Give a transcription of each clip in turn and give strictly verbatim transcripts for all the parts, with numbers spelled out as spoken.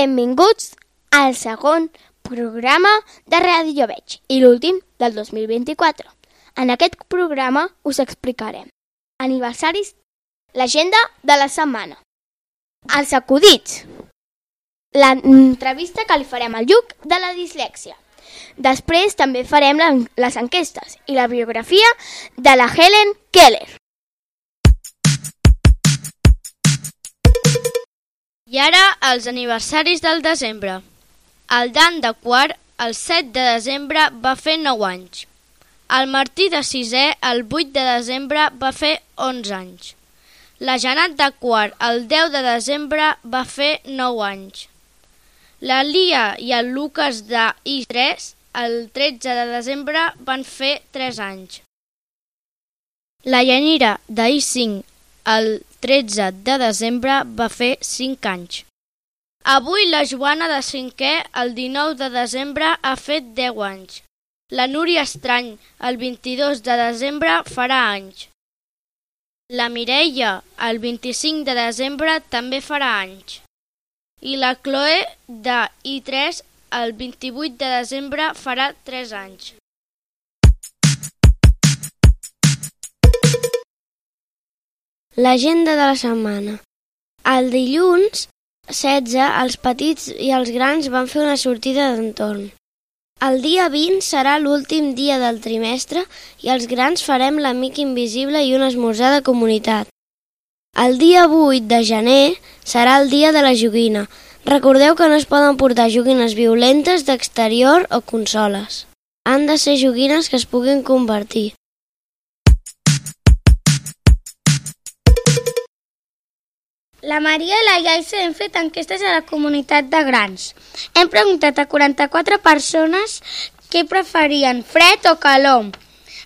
Benvinguts al segon programa de Ràdio Veig i l'últim del dos mil vint-i-quatre. En aquest programa us explicarem aniversaris, l'agenda de la setmana, els acudits, l'entrevista que li farem al Lluc de la dislèxia. Després també farem les enquestes i la biografia de la Helen Keller. I ara els aniversaris del desembre. El Dan de quart, el set de desembre, va fer nou anys. El Martí de sisè, el vuit de desembre, va fer onze anys. La Janat de quart, el deu de desembre, va fer nou anys. La Lia i el Lucas de i tres, el tretze de desembre, van fer tres anys. La Yanira de i cinc, el tretze de desembre, va fer cinc anys. Avui la Joana de cinquè, el dinou de desembre, ha fet deu anys. La Núria Estrany, el vint-i-dos de desembre, farà anys. La Mireia, el vint-i-cinc de desembre, també farà anys. I la Chloe de i tres, el vint-i-vuit de desembre, farà tres anys. L'agenda de la setmana. El dilluns setze, els petits i els grans van fer una sortida d'entorn. El dia vint serà l'últim dia del trimestre i els grans farem l'amic invisible i un esmorzar de comunitat. El dia vuit de gener serà el dia de la joguina. Recordeu que no es poden portar joguines violentes d'exterior o consoles. Han de ser joguines que es puguin convertir. La Maria i la Yaisa hem fet enquestes a la comunitat de grans. Hem preguntat a quaranta-quatre persones què preferien, fred o calor.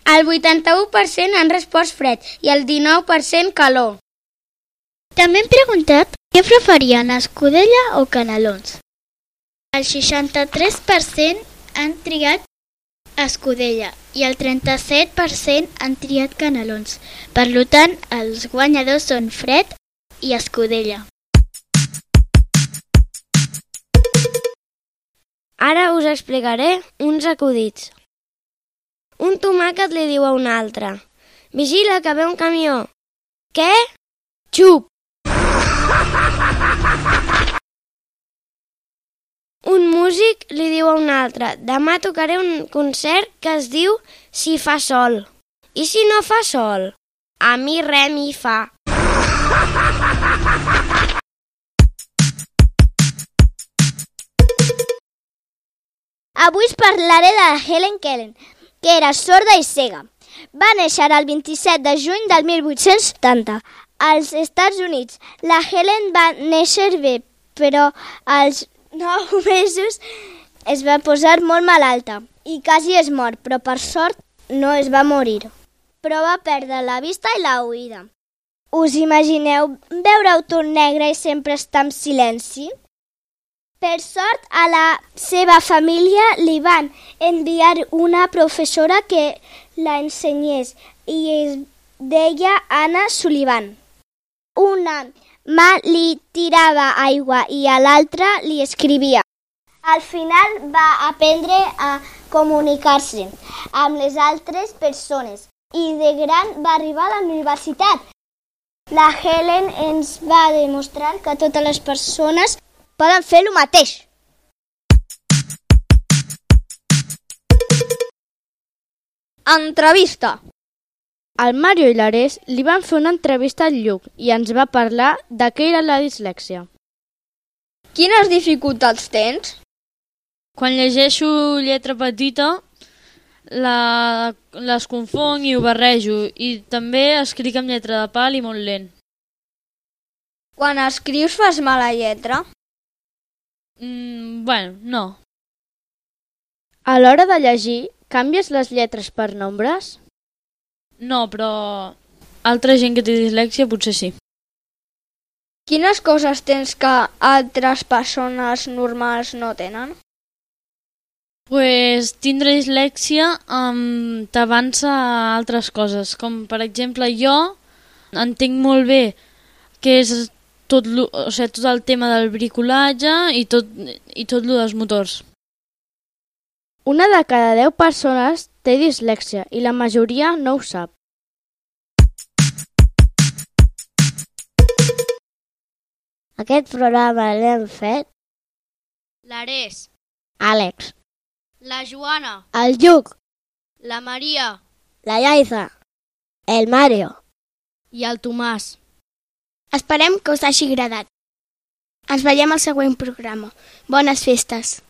El vuitanta-u per cent han respost fred i el dinou per cent calor. També hem preguntat què preferien, escudella o canelons. El seixanta-tres per cent han triat escudella i el trenta-set per cent han triat canelons. Per tant, els guanyadors són fred i escudella. Ara us explicaré uns acudits. Un tomàquet li diu a un altre: vigila que ve un camió. Què? Xup! Un músic li diu a un altre: demà tocaré un concert que es diu Si fa sol. I si no fa sol? A mi re mi fa. Avui us parlaré de la Helen Keller, que era sorda i cega. Va néixer el vint-i-set de juny del mil vuit-cents setanta als Estats Units. La Helen va néixer bé, però als nou mesos es va posar molt malalta i quasi es mor, però per sort no es va morir. Però va perdre la vista i la oïda. Us imagineu veure-ho tot negre i sempre estar en silenci? Per sort, a la seva família li van enviar una professora que la ensenyés i es deia Anna Sullivan. Una mà li tirava aigua i a l'altra li escrivia. Al final va aprendre a comunicar-se amb les altres persones i de gran va arribar a la universitat. La Helen ens va demostrar que totes les persones poden fer el mateix. Entrevista. El Mario i l'Ares li van fer una entrevista al Lluc i ens va parlar de què era la dislèxia. Quines dificultats tens? Quan llegeixo lletra petita, la, les confonc i ho barrejo, i també escric amb lletra de pal i molt lent. Quan escrius fas mala lletra? Mm, bueno, no. A l'hora de llegir, canvies les lletres per nombres? No, però altra gent que té dislèxia potser sí. Quines coses tens que altres persones normals no tenen? Pues tindre dislèxia um, t'avança a altres coses, com per exemple jo entenc molt bé què és tot, lo, o sigui, tot el tema del bricolatge i tot, i tot lo dels motors. Una de cada deu persones té dislèxia i la majoria no ho sap. Aquest programa l'hem fet l'Ares, Àlex, la Joana, el Lluc, la Maria la Yaiza, el Mario. i el Tomàs. Esperem que us hagi agradat. Ens veiem al següent programa. Bones festes!